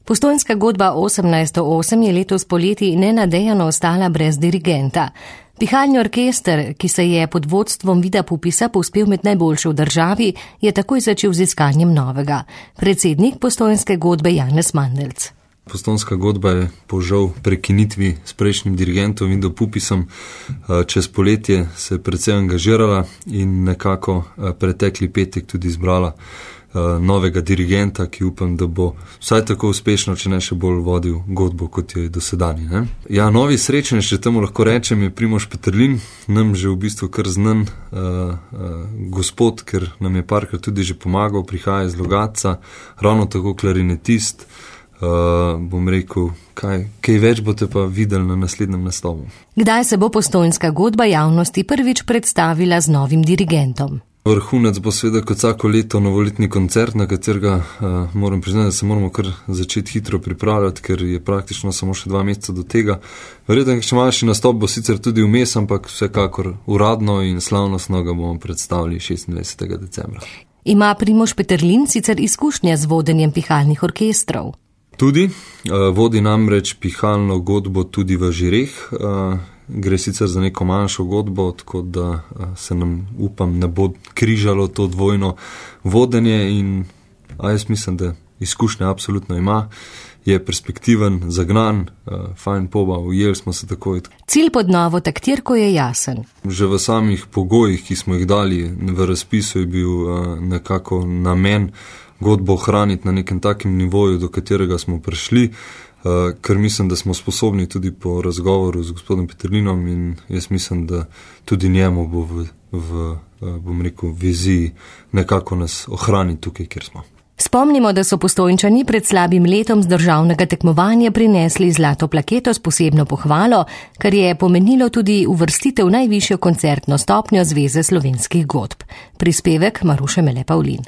Postojnska godba 1808 je letos poleti nenadejano ostala brez dirigenta. Pihalni orkester, ki se je pod vodstvom Vida Pupisa povzpel med najboljše v državi, je takoj začel z iskanjem novega. Predsednik Postojnske godbe Janez Mandelc. Postojnska godba je po žal prekinitvi s prejšnjim dirigentom Vidom Pupisom čez poletje se precej angažirala in nekako pretekli petek tudi izbrala novega dirigenta, ki upam, da bo vsaj tako uspešno, če ne še bolj vodil godbo, kot jo je dosedanji. Ja, novi srečnež, če temu lahko rečem, je Primož Peterlin, nam že v bistvu kar znan gospod, ker nam je parkrat tudi že pomagal, prihaja iz Logatca, ravno tako klarinetist. Bom rekel, kaj več boste pa videli na naslednjem nastopu. Kdaj se bo Postojnska godba javnosti prvič predstavila z novim dirigentom? Vrhunec bo seveda kot vsako leto novoletni koncert, na katerega moram priznati, da se moramo kar začeti hitro pripravljati, ker je praktično samo še 2 meseca do tega. Verjetno še manjši nastop bo sicer tudi vmes, ampak vsekakor uradno in slavnostno ga bomo predstavili 26. decembra. Ima Primož Peterlin sicer izkušnje z vodenjem pihalnih orkestrov? Tudi, vodi namreč pihalno godbo tudi v Žireh, gre sicer za neko manjšo godbo, tako da se nam, upam, ne bo križalo to dvojno vodenje in jaz mislim, da izkušnje absolutno ima, je perspektiven, zagnan, fajn poba, ujeli smo se takoj. Cilj pod novo taktirko je jasen. Že v samih pogojih, ki smo jih dali v razpisu, je bil nekako namen godbo ohraniti na nekem takem nivoju, do katerega smo prišli, ker mislim, da smo sposobni tudi po razgovoru z gospodom Peterlinom in jaz mislim, da tudi njemu bo bom rekel, viziji nekako nas ohraniti tukaj, kjer smo. Spomnimo, da so Postojnčani pred slabim letom z državnega tekmovanja prinesli zlato plaketo s posebno pohvalo, kar je pomenilo tudi uvrstitev v najvišjo koncertno stopnjo Zveze slovenskih godb. Prispevek Maruše Mele Pavlin.